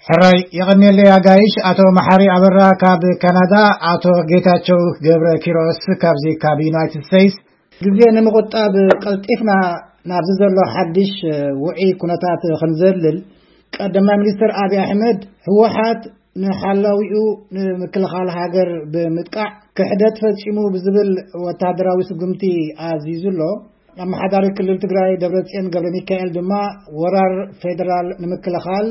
ሕራይ የቐንየለይ ኣጋይሽ። ኣቶ መሓሪ ኣበራ ካብ ካናዳ፣ ኣቶ ጌታቸው ገብረ ኪሮስ ካብዚ ካብ ዩናይትድ ስቴትስ። ግዜ ንምቑጣብ ቀልጢፍና ናብዚ ዘሎ ሓድሽ ውዒ ኩነታት ክንዘልል፣ ቀዳማይ ሚኒስትር ኣብይ ኣሕመድ፣ ህወሓት ንሓላዊኡ ንምክልኻል ሃገር ብምጥቃዕ ክሕደት ፈጺሙ ብዝብል ወታደራዊ ስጉምቲ ኣዚዙ ኣሎ። ኣመሓዳሪ ክልል ትግራይ ደብረጽዮን ገብረ ሚካኤል ድማ ወራር ፌደራል ንምክልኻል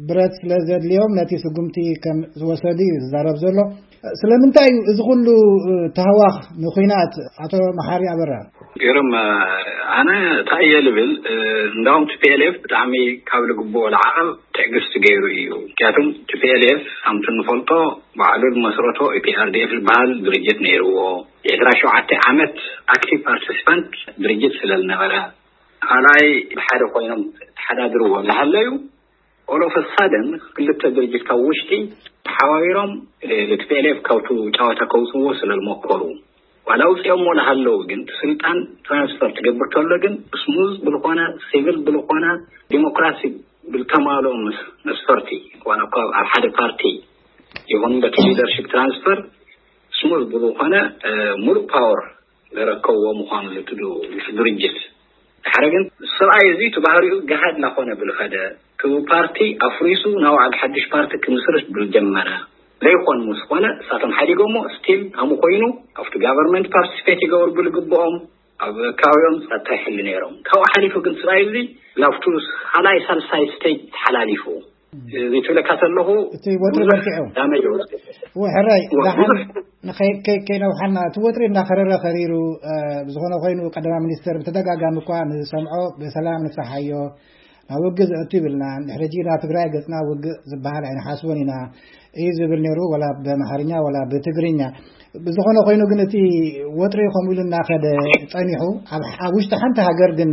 ብረት ስለ ዘድልዮም ነቲ ስጉምቲ ከም ዝወሰዱ እዩ ዝዛረብ ዘሎ። ስለምንታይ እዩ እዚ ኩሉ ተህዋኽ ንኹናት? ኣቶ መሓሪ ኣበራ። ገርም፣ ኣነ እንታይ እየ ልብል? እንዳውም ቲ ፒ ኤል ኤፍ ብጣዕሚ ካብ ልግብኦ ለዓቐብ ትዕግስቲ ገይሩ እዩ። ምክንያቱም ቲ ፒ ኤል ኤፍ ከምቲ እንፈልጦ ባዕሉ ዝመስረቶ ኢ ፒ ኣር ዲ ኤፍ ዝበሃል ድርጅት ነይርዎ። የ ዕስራ ሸውዓተ ዓመት ኣክቲቭ ፓርቲሲፓንት ድርጅት ስለ ዝነበረ፣ ካልኣይ ብሓደ ኮይኖም ተሓዳድርዎ እናሃለዩ፣ ኦል ኦፍ ሳደን ክልተ ድርጅት ካብ ውሽጢ ተሓባቢሮም ቲ ፒ ኤል ኤፍ ካብቱ ጨዋታ ከውፅዎ ስለ ዝመከሩ፣ ዋላ ውፅኦሞ እናሃለዉ ግን እቲ ስልጣን ትራንስፈር ትገብር ተሎ ግን ስሙዝ ብልኾነ፣ ሲቪል ብልኾነ፣ ዲሞክራሲ ብልተማልኦ መስ- መስፈርቲ፣ ዋላ እኳ ኣብ ሓደ ፓርቲ ይኹን በቲ ሊደርሽፕ ትራንስፈር ስሙዝ ብዝኾነ፣ እ፣ ሙሉእ ፓወር ዘረከብዎ ምዃኑ ዝትዱ ድርጅት። ድሓረ ግን ሰብኣይ እዚ እቲ ባህሪኡ ገሃድ እናኾነ ብልኸደ፣ እቲ ፓርቲ ኣፍሪሱ ናብ ሓደ ሓድሽ ፓርቲ ክምስርት ብልጀመረ፣ ዘይኮን ምስ ኮነ እሳቶም ሓዲጎሞ ስቲል ኣሙ ኮይኑ ኣብቲ ጋቨርንመንት ፓርቲስፔት ይገብሩ ብልግብኦም፣ ኣብ ከባቢኦም ጸጥታ ይሕሉ ነይሮም። ካብኡ ሓሊፉ ግን ሰብኣይ እዚ ላብቱ ካልኣይ ሳልሳይ ስቴጅ ተሓላሊፉ። እዚ ትብለካ ዘለኹ እቲ ወጥሪ ብዙሕ በርቲዑ። ዳሜጅ ወርዱ። እወ፣ ሕራይ፣ እወ፣ ዳሓን ብዙሕ ንኸይ-፣ ከይ-፣ ከይነውሓና፣ እቲ ወጥሪ እንዳኸረረ ከሪሩ፣ እ፣ ብዝኾነ ኮይኑ ቀዳማይ ሚኒስተር ብተደጋጋሚ እኳ ንሰምዖ ብሰላም ንፍታሓዮ፣ ናብ ውግእ ዘእቱ ይብልና፣ ድሕሪ ሕጂ ናብ ትግራይ ገጽና ውግእ ዝበሃል ኣይንሓስቦን ኢና እዩ ዝብል ነይሩ፣ ወላ ብኣምሓርኛ ወላ ብትግርኛ። ብዝኾነ ኮይኑ ግን እቲ ወጥሪ ከምኡ ኢሉ እናኸደ ጸኒሑ፣ ኣብ፣ ኣብ ውሽጢ ሓንቲ ሃገር ግን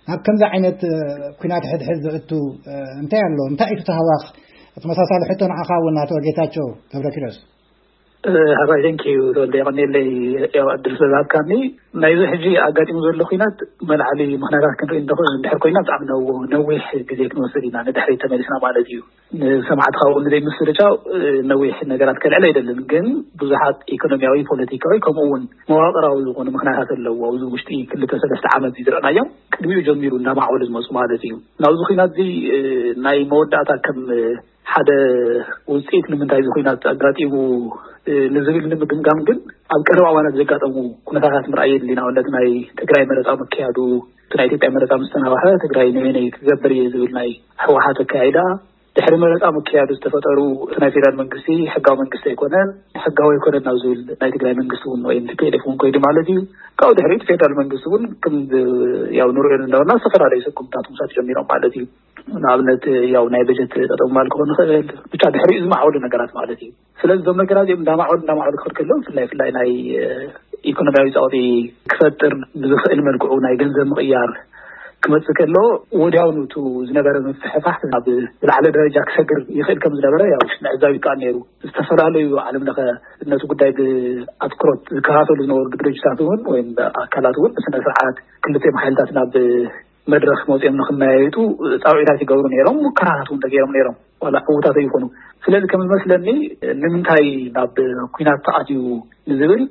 ናብ ከምዚ ዓይነት፣ እ፣ ኲናት ሕድሕድ ዘእቱ፣ እ፣ እንታይ ኣሎ? እንታይ እዩ እቲ ተህዋኽ? ተመሳሳሊ ሕቶ ንዓኻ እውን ኣቶ ጌታቸው ገብረኪሮስ። እ፣ ሕራይ፣ ቴንክ ዩ ተወልደ፣ የቐንየለይ፣ ያው፣ ዕድል ስለ ዝሃብካኒ። ናይዚ ሕጂ ኣጋጢሙ ዘሎ ኲናት መልዓሊ ምኽንያታት ክንርኢ እንተኾ-፣ እንድሕር ኮይና ብጣዕሚ ነው-፣ ነዊሕ ግዜ ክንወስድ ኢና፣ ንድሕሪት ተመሊስና ማለት እዩ። ንሰማዕቲ ካብኡ ንዘይምስርጫው፣ እ፣ ነዊሕ ነገራት ከልዕል ኣይደልን፣ ግን ብዙሓት ኢኮኖሚያዊ፣ ፖለቲካዊ፣ ከምኡ እውን መዋቕራዊ ዝኾኑ ምኽንያታት ኣለዎ። ኣብዚ ውሽጢ ክልተ ሰለስተ ዓመት እዚ ዝረኣናዮም፣ ቅድሚኡ ጀሚሩ እናማዕበሉ ዝመፁ ማለት እዩ። ናብዚ ኲናት እዚ፣ እ፣ ናይ መወዳእታ ከም፣ እ፣ ሓደ ውፅኢት ንምንታይ እዚ ኲናት ኣጋጢሙ፣ እ፣ ንዝብል ንምግምጋም ግን ኣብ ቀረባ እዋናት ዘጋጠሙ ኩነታታት ምርኣይ የድሊ። ንኣብነት ናይ ትግራይ መረፃ ምክያዱ፣ እቲ ናይ ኢትዮጵያ መረፃ ምስ ተናዋሐ ትግራይ ንበይነይ ክገብር እየ ዝብል ናይ ህወሓት ኣካያይዳ፣ ድሕሪ መረፃ ምክያዱ ዝተፈጠሩ እቲ ናይ ፌደራል መንግስቲ ሕጋዊ መንግስቲ ኣይኮነን፣ ሕጋዊ ኣይኮነን ናብ ዝብል ናይ ትግራይ መንግስቲ እውን ወይም ቲ ፒ ኤል ኤፍ እውን ኮይዱ ማለት እዩ። ካብኡ ድሕሪት ፌደራል መንግስቲ እውን ከም ዝ-፣ ያው ንሪኦ እንዳበልና ዝተፈላለዩ ስጉምታት ምውሳድ ጀሚሮም ማለት እዩ። ንኣብነት ያው ናይ በጀት ጠጠው ምባል ክኾን ይኽእል፣ ብቻ ድሕሪኡ ዝማዕበሉ ነገራት ማለት እዩ። ስለዚ እዞም ነገራት እዚኦም እንዳማዕበሉ እንዳማዕበሉ ክኸድ ከለዉ ብፍላይ ብፍላይ ናይ፣ እ፣ ኢኮኖሚያዊ ጸቕጢ ክፈጥር ብዝኽእል መልክዑ ናይ ገንዘብ ምቕያር ክመጽእ ከሎ ወዲያውኑ እቱ ዝነበረ ምፍሕፋሕ ናብ ዝለዓለ ደረጃ ክሰግር ይኽእል ከም ዝነበረ ያው ምዕዛብ ይከኣል ነይሩ። ዝተፈላለዩ ዓለም ለኸ ነቲ ጉዳይ ብኣትኩሮት ዝከታተሉ ዝነበሩ ድርጅታት እውን ወይም ኣካላት እውን ብስነ ስርዓት ክልቲኦም ሓይልታት ናብ መድረኽ መፂኦም ንክመያየጡ ፃውዒታት ይገብሩ ነይሮም፣ ሙከራታት እውን ተገይሮም ነይሮም፣ ዋላ ዕዉታት ኣይኮኑ። ስለዚ ከም ዝመስለኒ ንምንታይ ናብ ኲናት ተኣትዩ ንዝብል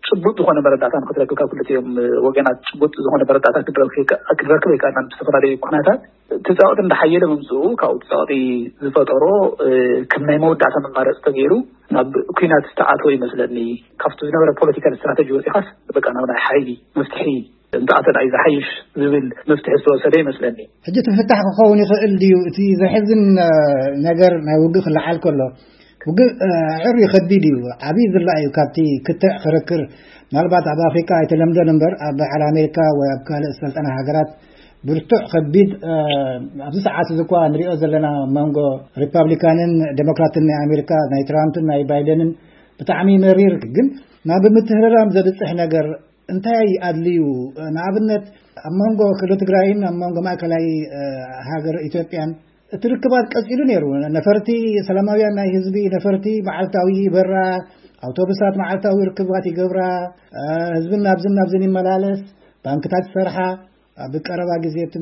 ጭቡጥ ዝኾነ መረዳእታ ንክትረክብ ካብ ክልቲኦም ወገናት ጭቡጥ ዝኾነ መረዳእታ ክትረክብ ኣይከኣልናን። ብዝተፈላለዩ ምኽንያታት እቲ ፃውዒት እንዳሓየለ ምምፅኡ ካብኡ እቲ ፃውዒት ዝፈጠሮ ከም ናይ መወዳእታ መማረፂ ተገይሩ ናብ ኲናት ዝተኣተወ ይመስለኒ። ካብቲ ዝነበረ ፖለቲካል ስትራተጂ ወፂኻስ በቃ ናብ ናይ ሓይሊ መፍትሒ እንተኣተና እዩ ዝሓይሽ ዝብል መፍትሒ ዝተወሰደ ይመስለኒ። ሕጂ እቲ ፍታሕ ክኸውን ይኽእል ድዩ? እቲ ዘሕዝን፣ እ፣ ነገር ናይ ውግእ ክለዓል ከሎ፣ ውግእ፣ እ፣ ኣዕርዩ ከቢድ እዩ። ዓብዪ ዝላ እዩ ካብቲ ክትዕ ክርክር። ምናልባት ኣብ ኣፍሪቃ ኣይተለምደን እምበር፣ ኣብ በዓል ኣሜሪካ ወይ ኣብ ካልእ ዝሰልጠና ሃገራት ብርቱዕ ከቢድ፣ እ፣ ኣብዚ ሰዓት እዚ እኳ ንሪኦ ዘለና መንጎ ሪፓብሊካንን ዴሞክራትን ናይ ኣሜሪካ፣ ናይ ትራምፕን ናይ ባይደንን ብጣዕሚ መሪር፣ ግን ናብ ምትህርራም ዘብጽሕ ነገር እንታይ ኣድልዩ? ንኣብነት፣ ኣብ መንጎ ክልል ትግራይን ኣብ መንጎ ማእከላይ፣ እ፣ ሃገር ኢትዮጵያን እቲ ርክባት ቀጺሉ ነይሩ። ነፈርቲ፣ ሰላማውያን ናይ ህዝቢ ነፈርቲ መዓልታዊ ይበራ፣ ኣውቶቡሳት መዓልታዊ ርክባት ይገብራ፣ እ፣ ህዝብን ናብዝን ናብዝን ይመላለስ፣ ባንክታት ይሰርሓ። ኣብ ቀረባ ግዜ እቲ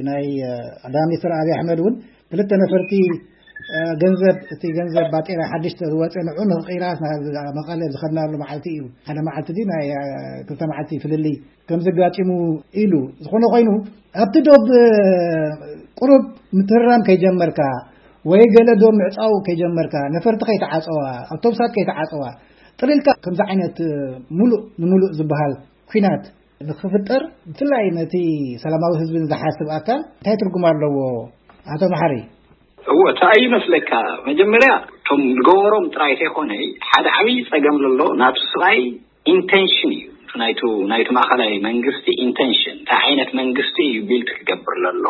ናይ፣ እ፣ ቀዳማይ ሚኒስትር ኣብይ ኣሕመድ እውን ክልተ ነፈርቲ ገንዘብ፣ እቲ ገንዘብ ባጤራ ሓድሽ ዝወፀ ንዑ ንኽቕይራስ ናብ መቐለ ዝኸድናሉ መዓልቲ እዩ። ሓደ መዓልቲ ድዩ ናይ ክልተ መዓልቲ ፍልልይ ከምዚ ኣጋጢሙ ኢሉ። ዝኾነ ኮይኑ ኣብቲ ዶብ ቁሩብ ምትህራም ከይጀመርካ ወይ ገለ ዶብ ምዕፃው ከይጀመርካ፣ ነፈርቲ ከይተዓፀዋ፣ ኣውቶቡሳት ከይተዓፀዋ፣ ጥሪልካ ከምዚ ዓይነት ሙሉእ ንሙሉእ ዝበሃል ኲናት ንክፍጠር፣ ብፍላይ ነቲ ሰላማዊ ህዝቢ ዝሓስብ ኣካል እንታይ ትርጉም ኣለዎ? ኣቶ መሓሪ። እዎ፣ እንታይ ይመስለካ፣ መጀመርያ እቶም ዝገበሮም ጥራይ ዘይኮነ፣ ሓደ ዓብዪ ጸገም ዘሎ ናቱ ስብኣይ ኢንቴንሽን እዩ። ናይቱ ናይቱ ማእኸላይ መንግስቲ ኢንቴንሽን፣ እንታይ ዓይነት መንግስቲ እዩ ቢልት ክገብር ለሎ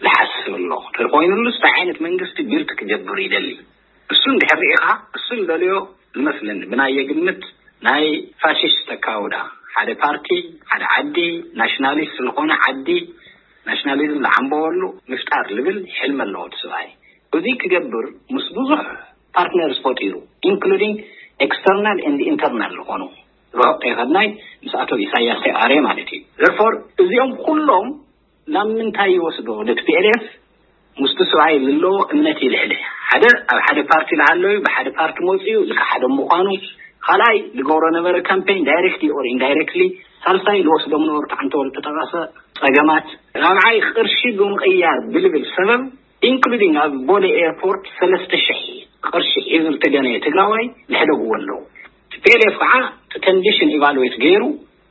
ዝሓስብ ኣሎ። ተኮይኑሉስ እንታይ ዓይነት መንግስቲ ቢልት ክገብር ይደሊ? እሱ እንድሕር ርኢኻ፣ እሱ ዝደልዮ ዝመስለኒ፣ ብናየ ግምት፣ ናይ ፋሽስት ተካውዳ፣ ሓደ ፓርቲ፣ ሓደ ዓዲ፣ ናሽናሊስት ዝኾነ ዓዲ፣ ናሽናሊዝም ዝዓምበወሉ ምፍጣር ልብል ሕልሚ ኣለዎ እቲ ስብኣይ። እዚ ክገብር ምስ ብዙሕ ፓርትነርስ ፈጢሩ፣ ኢንክሉዲንግ ኤክስተርናል ኤንድ ኢንተርናል ዝኾኑ፣ ርሑቕ ከይኸድናይ ምስ ኣቶ ኢሳያስ ተይኣረ ማለት እዩ። ዘርፎር እዚኦም ኩሎም ናብ ምንታይ ይወስዶ? ቲ ፒ ኤል ኤፍ ምስቲ ስብኣይ ዘለዎ እምነት ይልዕል። ሓደ ኣብ ሓደ ፓርቲ ዝሃለዩ፣ ብሓደ ፓርቲ መፅኡ፣ እዚ ሓደ ምዃኑ፣ ካልኣይ ዝገብሮ ነበረ ካምፔን ዳይሬክትሊ ኦር ኢንዳይሬክትሊ፣ ሳልሳይ ዝወስዶም ነበሩ ተዓንተወል ተጠቐሰ ጸገማት፣ ራብዓይ ቅርሺ ብምቕያር ብልብል ሰበብ፣ ኢንክሉዲንግ ኣብ ቦሌ ኤርፖርት ሰለስተ ሽሕ ቅርሺ ሒዙ ዝተገነየ ትግራዋይ ዝሕደግዎ ኣለዉ። ቲ ፒ ኤል ኤፍ ከዓ እቲ ኮንዲሽን ኢቫሉዌት ገይሩ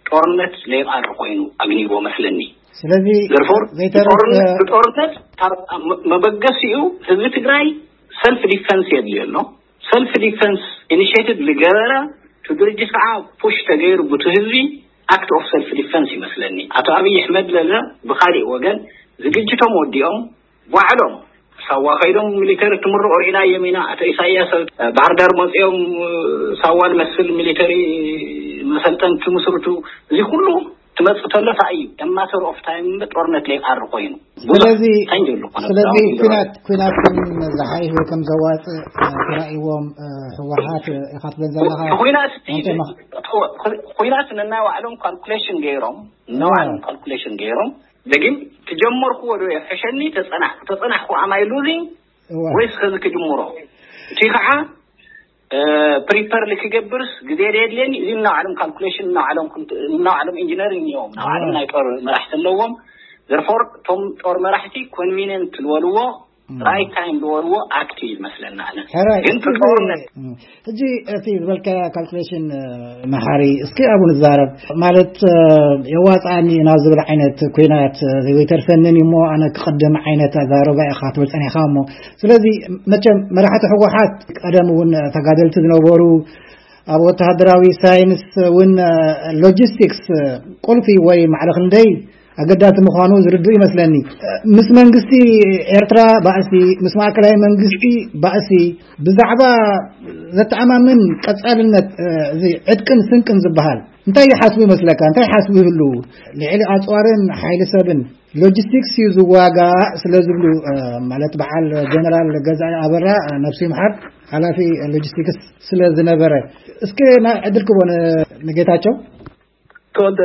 ጦርነት ለይቃር ኮይኑ ኣግኒዎ መስለኒ። ስለዚ ዘርፎር ዘይተርፍ ብጦርነት፣ ብጦርነት ካብ መ-፣ መበገሲኡ ህዝቢ ትግራይ ሰልፍ ዲፈንስ የድልዮ ኣሎ። ሰልፍ ዲፈንስ ኢኒሽቲቭ ዝገበረ፣ እቲ ድርጅት ከዓ ፑሽ ተገይሩ፣ ብቲ ህዝቢ ኣክት ኦፍ ሰልፍ ዲፈንስ ይመስለኒ። ኣቶ ኣብይ ኣሕመድ ለለ ብካሊእ ወገን ዝግጅቶም ወዲኦም ባዕሎም ሳዋ ከይዶም ሚሊተሪ ትምርቑ ርኢና እዮም ኢና። ኣቶ ኢሳያስ ኣብ ባህር ዳር መፂኦም ሳዋ ዝመስል ሚሊተሪ መሰልጠን ትምስርቱ። እዚ ኩሉ ትመፅእ ተሎ እንታይ እዩ? ማተር ኦፍ ታይም እምበር ጦርነት ለይቃሪ ኮይኑ። ብዙሕ ስለዚ ታይም የብሉ ኮነ ስለዚ ብዛዕባ ኩናት ኩናት ከም ዝሓይሽ ወይ ከም ዘዋፅእ ተራእይዎም ህወሓት ኢኻ ትብል ዘለኻ። ኩናት ኣንተ ማ- ኩናት ነናይ ባዕሎም ካልኩሌሽን ገይሮም፣ ነባዕሎም ካልኩሌሽን ገይሮም፣ ግን ትጀመርኩዎ ዶ የሕሸኒ፣ ተጸናሕኩ፣ ተጸናሕኩ፣ am I losing እዋ። ወይስ ከዚ ክጅምሮ? እቲ ከዓ ፕሪፐር ክገብርስ ግዜ ዶ የድልየኒ? እዚ እናባዕሎም ካልኩሌሽን፣ እናባዕሎም ኮንት-፣ እናባዕሎም ኢንጂነሪንግ እዮም፣ እናባዕሎም ናይ ጦር መራሕቲ ኣለዎም። ዘርፎር እቶም ጦር መራሕቲ ኮንቪኒየንት ዝበልዎ፣ ራይት ታይም ዝበልዎ ኣክት እዩ ይመስለና። ኣነ ሕራይ ግን እስኪ ጦርነት እም፣ ሕጂ እቲ ዝበልካያ ካልኩሌሽን መሓሪ እስኪ ኣብኡ ንዛረብ። ማለት የዋፅኣኒ ናብ ዝብል ዓይነት ኩናት ዘይተርፈንን እሞ ኣነ ክቕድም ዓይነት ኣዛረባ ኢኻ ትብል ፀኒሕካ። እሞ ስለዚ መቸም መራሕቲ ህወሓት ቀደም እውን ተጋደልቲ ዝነበሩ፣ ኣብ ወተሃደራዊ ሳይንስ እውን ሎጂስቲክስ ቁልፊ ወይ ማዕረ ክንደይ ኣገዳሲ ምዃኑ ዝርድኡ ይመስለኒ። ምስ መንግስቲ ኤርትራ ባእሲ፣ ምስ ማእከላይ መንግስቲ ባእሲ፣ ብዛዕባ ዘተኣማምን ቀጻልነት እዚ ዕጥቅን ስንቅን ዝበሃል እንታይ ይሓስቡ ይመስለካ? እንታይ ይሓስቡ ይህሉ? ልዕሊ ኣጽዋርን ሓይሊ ሰብን ሎጂስቲክስ እዩ ዝዋጋእ ስለ ዝብሉ፣ ማለት በዓል ጀነራል ገዛኢ ኣበራ፣ ነብሱ ይምሓር፣ ሓላፊ ሎጂስቲክስ ስለ ዝነበረ። እስኪ ናይ ዕድል ክቦ ንጌታቸው። ተወልደ፣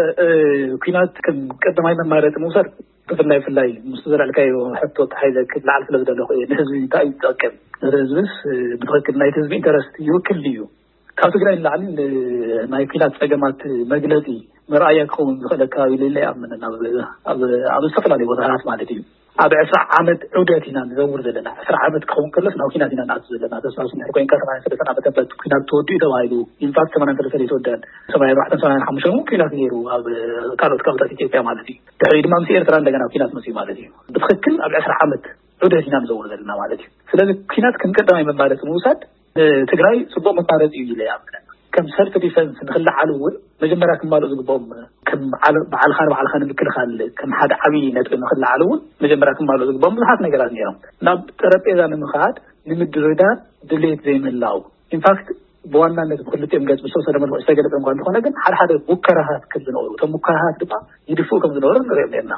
ኩናት ከም ቀዳማይ መማረፂ ምውሳድ፣ ብፍላይ ፍላይ ምስ ዘልዕልካዮ ሕቶ ተሓይዘ ክለዓል ስለ ዝደለኹ እየ። ንህዝቢ እንታይ እዩ ዝጠቅም? ንህዝብስ ብትኽክል ናይቲ ህዝቢ ኢንተረስት ይውክል ድዩ? ካብ ትግራይ ንላዕሊ ናይ ኩናት ፀገማት መግለፂ መርኣያ ክኸውን ዝኽእል ከባቢ ሌለ ይኣምንን ኣብ ኣብ ኣብ ዝተፈላለዩ ቦታታት ማለት እዩ። ኣብ ዕስራ ዓመት ዑደት ኢና ንዘውር ዘለና። ዕስራ ዓመት ክኸውን ከሎስ ናብ ኩናት ኢና ንኣቱ ዘለና። ተስታውስ እንድሕር ኮይንካ ሰማንያን ሰለስተን ዓመተ ምህረት ኩናት ተወዲኡ ተባሂሉ። ኢንፋክት ሰማንያን ሰለስተን ኣይተወደአን። ሰማንያን ኣርባዕተን ሰማንያን ሓሙሽተን እውን ኩናት ነይሩ ኣብ ካልኦት ከባብታት ኢትዮጵያ ማለት እዩ። ድሕሪ ድማ ምስ ኤርትራ እንደገና ኩናት መፅዩ ማለት እዩ። ብትኽክል ኣብ ዕስራ ዓመት ዑደት ኢና ንዘውር ዘለና ማለት እዩ። ስለዚ ኩናት ከም ቀዳማይ መማረፂ ምውሳድ ትግራይ ፅቡቅ መማረፂ እዩ ኢለ ይኣምንን። ከም ሰልፍ ዲፈንስ ንክለዓሉ እውን መጀመርያ ክማልኡ ዝግብኦም ከም ዓለ- ባዕልኻ ንባዕልኻ ንምክልኻል ከም ሓደ ዓብዪ ነጥቢ ንክለዓሉ እውን መጀመርያ ክማልኡ ዝግብኦም ብዙሓት ነገራት ነይሮም። ናብ ጠረጴዛ ንምኻድ ንምድርዳር ድሌት ዘይምላው። ኢንፋክት ብዋናነት ብክልቲኦም ገፅ ብዝተወሰነ መልክዑ ዝተገለፀ እኳ እንተኾነ ግን ሓደ ሓደ ሙከራታት ከም ዝነበሩ እቶም ሙከራታት ድማ ይድፍኡ ከም ዝነበሩ ንሪኦም ነርና።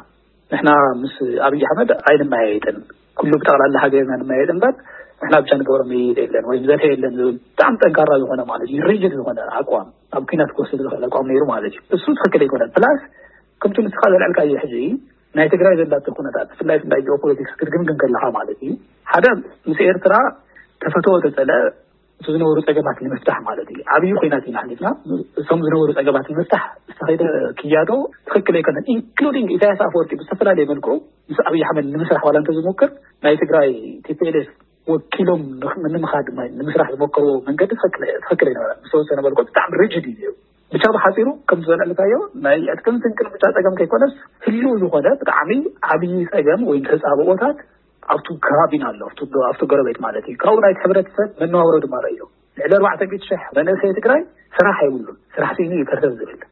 ንሕና ምስ ኣብይ ኣሕመድ ኣይንመያየጥን፣ ኩሉ ብጠቕላላ ሃገርና ንመያየጥ እምበር ንሕና ብቻ ንገብሮ ምይይጥ የለን ወይ ዘተ የለን ዝብል ብጣዕሚ ጠንካራ ዝኾነ ማለት እዩ ሪጅድ ዝኾነ ኣቋም ኣብ ኩናት ክወስድ ዝኽእል ኣቋም ነይሩ ማለት እዩ። እሱ ትኽክል ኣይኮነን። ፕላስ ከምቲ ንስኻ ዘልዐልካዮ ሕጂ ናይ ትግራይ ዘላቶ ኩነታት፣ ብፍላይ ብፍላይ ጂኦፖለቲክስ ክትግምግም ከለኻ ማለት እዩ፣ ሓደ ምስ ኤርትራ ተፈተወ ተጸለ እቲ ዝነበሩ ጸገማት ንምፍታሕ ማለት እዩ። ዓብዪ ኮይናት ኢና ሓሊፍና። እቶም ዝነበሩ ጸገማት ንምፍታሕ ዝተኸይደ ክያዶ ትኽክል ኣይኮነን። ኢንክሉዲንግ ኢሳያስ ኣፈወርቂ ብዝተፈላለየ መልክዑ ምስ ኣብይ ኣሕመድ ንምስራሕ ዋላ እንተዝሞክር ናይ ትግራይ ቲ ፒ ኤል ኤፍ ወኪሎም ንምኻድ ንምስራሕ ዝሞከርዎ መንገዲ ትኽክል ኣይነበረን። ዝተወሰነ መልክዑ ብጣዕሚ ሪጅድ እዩ። ብቻ ብሓፂሩ ከም ዝበልዕልካዮ ናይ ዕጥቅን ስንቅን ብቻ ፀገም ከይኮነስ ህልው ዝኾነ ብጣዕሚ ዓብዪ ፀገም ወይ ተፃብኦታት ኣብቱ ከባቢና ኣሎ፣ ኣብቱ ጎረቤት ማለት እዩ። ካብኡ ናይቲ ሕብረተሰብ መነባብሮ ድማ ረእዮ። ልዕሊ ኣርባዕተ ሚእቲ ሽሕ መንእሰይ ትግራይ ስራሕ የብሉን። ስራሕ ስኢኑ እዩ ከርተት ዝብል።